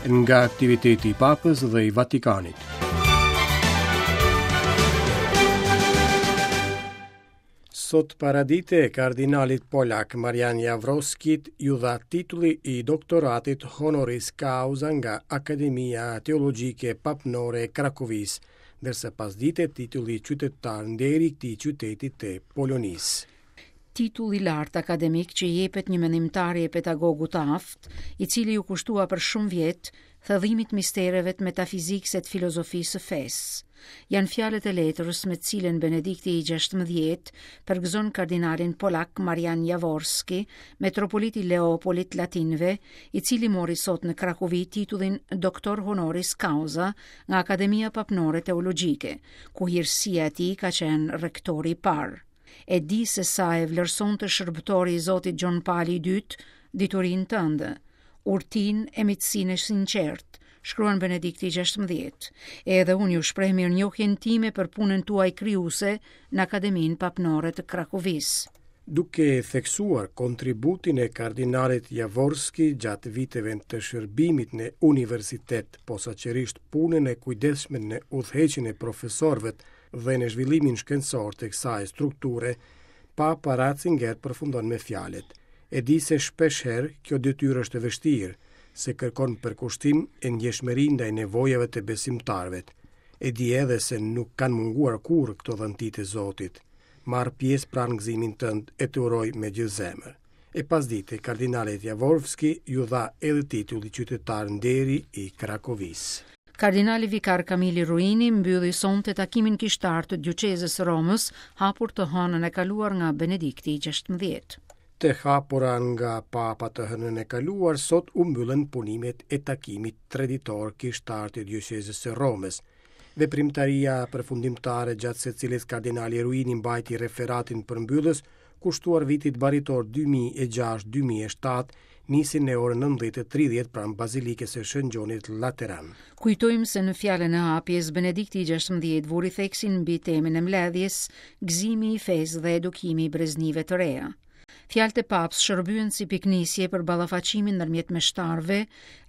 Nga aktiviteti i Papës dhe i Vatikanit. Sot paradite, kardinalit polak Marian Javorskit iu dha titulli i doktoratit honoris causa nga Akademia Teologjike Papnore e Krakovisë, ndërsa pasdite titulli qytetar nderi i këtij qyteti të Polonisë. Titull i lartë akademik që i jepet një mendimtari e pedagogu të aftë, i cili iu kushtua për shumë vjet thellimit të mistereve të metafizikës e të filozofisë së fesë. Janë fjalët e letrës me të cilën Benedikti i 16 përgëzon kardinalin polak Marian Javorski, metropolit i Leopolit të Latinëve, i cili mori sot në Krakovi titullin Doktor Honoris Causa nga Akademia Papnore Teologjike, ku hirësia e tij ka qenë rektori i parë. E di se sa e vlerësonte shërbëtori i Zotit Gjon Pali i Dytë diturinë tënde, urtinë e miqësinë e sinqertë, shkruan Benedikti i 16. Edhe unë ju shpreh mirënjohjen time për punën tuaj krijuese në Akademinë Papnore të Krakovisë. Duke theksuar kontributin e kardinalit Javorski gjatë viteve të shërbimit në universitet, posaçërisht punën e kujdesshme në udhëheqjen e profesorëve dhe në zhvillimin shkencor të kësaj strukture, Papa Ratzinger përfundon me fjalët: E di se shpeshherë kjo detyrë është e vështirë, se kërkon përkushtim e ndjeshmëri ndaj nevojave të besimtarëve. E di edhe se nuk kanë munguar kurrë këto dhunti të Zotit. Marr pjesë pra në gëzimin tënd e të uroj me gjithë zemër. E pasdite, kardinalit Javorski iu dha edhe titulli qytetar nderi i Krakovisë. Kardinali vikar Kamili Ruini mbylli sonte takimin kishtar të dioqezës së Romës, hapur të hënën e kaluar nga Benedikti i 16. Të hapura nga Papa të hënën e kaluar, sot u mbyllën punimet e takimit treditor kishtar të dioqezës së Romës. Veprimtaria përfundimtare gjatë së cilës kardinali Ruini mbajti referatin përmbyllës, kushtuar vitit baritor 2006-2007, nisi në orën 19:30 pranë Bazilikës së Shën Gjonit Lateran. Kujtojmë se në fjalën e hapjes, Benedikti i 16 vuri theksin mbi temën e mbledhjes, gëzimi i fesë dhe edukimi i breznive të reja. Fjalët e Papës shërbyen si pikënisje për ballafaqimin ndërmjet meshtarëve,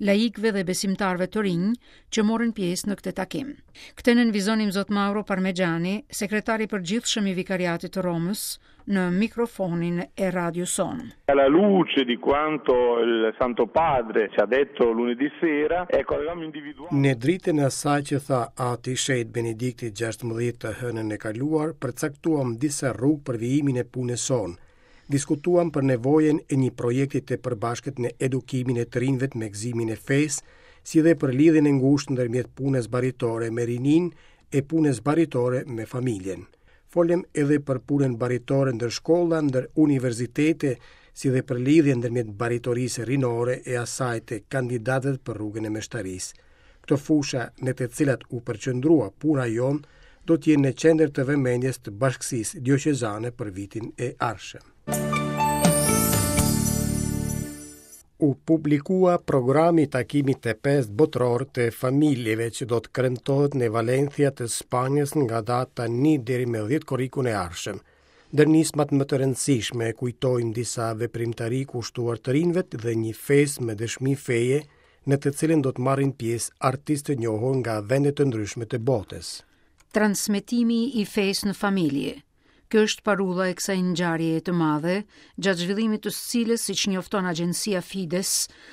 laikëve dhe besimtarëve të rinj që morën pjesë në këtë takim. Këtë nënvizon Imzot Mauro Parmeggiani, sekretar i përgjithshëm i Vikariatit të Romës, në mikrofonin e radios sonë. Alla luce di quanto il Santo Padre ci ha detto lunedì sera, ecco, avevamo individuato Në dritën e asaj që tha Ati i Shenjtë Benedikti XVI të hënën e kaluar, përcaktuam disa rrugë për vijimin e punës sonë. Diskutuam për nevojën e një projekti të përbashkët në edukimin e të rinjve me gëzimin e fesë, si dhe për lidhjen e ngushtë ndërmjet punës baritore me rininë e punës baritore me familjen. Folëm edhe për punën baritore ndër shkolla, ndër universitete, si dhe për lidhjen ndërmjet baritorisë rinore e asaj të kandidatëve për rrugën e meshtarisë. Këto fusha në të cilat u përqendrua puna jonë do të jenë në qendër të vëmendjes të bashkësisë dioqezane për vitin e ardhshëm. U publikua programi i takimit të pestë botëror të familjeve që do të kremtohet në Valencia të Spanjës nga data 1 deri më 10 korrikun e ardhshëm. Ndër nismat më të rëndësishme kujtojmë disa veprimtari kushtuar të rinjve dhe një festë me dëshmi feje në të cilën do të marrin pjesë artistë të njohur nga vende të ndryshme të botës. Transmetimi i fesë në familje. Kjo është parulla e kësaj ngjarjeje të madhe, gjatë zhvillimit të së cilës, siç njofton agjencia Fides,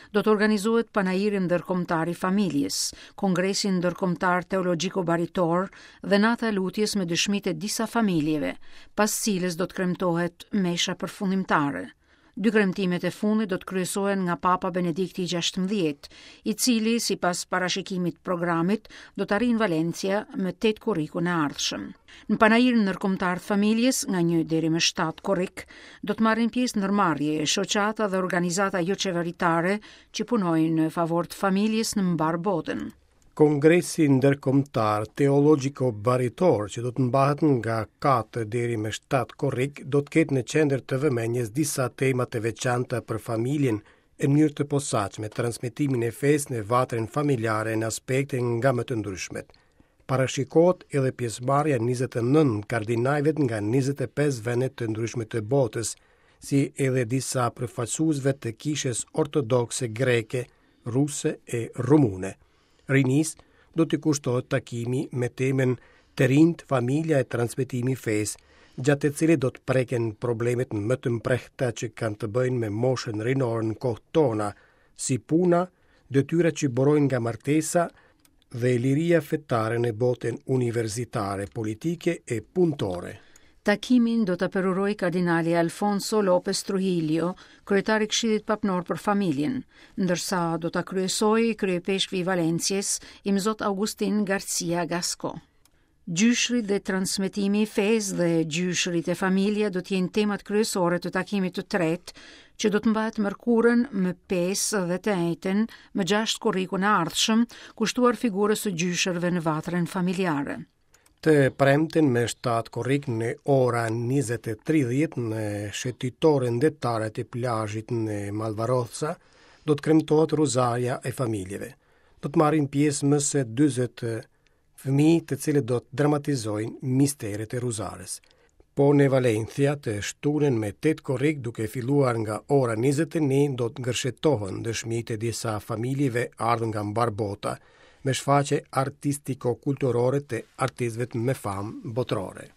do të organizohet Panairi Ndërkombëtar i Familjes, Kongresi Ndërkombëtar Teologjiko-Baritor dhe Nata e Lutjes me dëshmitë e disa familjeve, pas cilës do të kremtohet mesha përfundimtare. Dy kremtimet e fundit do të kryesohen nga Papa Benedikti i 16, i cili, sipas parashikimit të programit, do të arrijë në Valencia më 8 korrikun e ardhshëm. Në Panairin Ndërkombëtar të Familjes, nga 1 deri më 7 korrik, do të marrin pjesë ndërmarrje, shoqata dhe organizata joqeveritare që punojnë në favor të familjes në mbarë botën. Kongresi Ndërkombëtar Teologjiko-Baritor, që do të mbahet nga 4 deri më 7 korrik, do të ketë në qendër të vëmendjes disa tema të veçanta për familjen, e në mënyrë të posaçme transmetimin e fesë në vatrën familjare në aspekte nga më të ndryshmet. Parashikohet edhe pjesëmarrja e 29 kardinajve nga 25 vende të ndryshme të botës, si edhe disa përfaqësuesve të Kishës Ortodokse Greke. ruse e rumune. Rinisë do t'i kushtohet takimi me temën Të rinjtë, familja e transmetimi i fesë, gjatë të cilit do të preken problemet më të mprehta që kanë të bëjnë me moshën rinore në kohët tona, si puna, detyrat që burojnë nga martesa dhe liria fetare në botën universitare, politike e punëtore. Takimin do ta përurojë kardinali Alfonso Lopez Trujillo, kryetar i Këshillit Papnor për Familjen, ndërsa do ta kryesojë kryeipeshkvi i Valencies, Imzot Augustin Garcia Gasco. Gjyshërit dhe transmetimi i fesë dhe gjyshërit e familja do të jenë temat kryesore të takimit të tretë, që do të mbahet mërkurën më 5 dhe të enjten më 6 korrikun e ardhshëm, kushtuar figurës së gjyshërve në vatrën familjare. Të premten me 7 korrik në ora 20:30 në shëtitoren detare të plazhit në Malvarosa do të kremtohet Rozarja e familjeve. Do të marrin pjesë më se 40 fëmijë të cilët do të dramatizojnë misteret e Rozares. Po në Valencia të shtunën me 8 korrik duke filluar nga ora 21 do të gërshetohen dëshmitë e disa familjeve ardhur nga mbarë bota me shfaqje artistiko-kulturore të artistëve me famë botërore.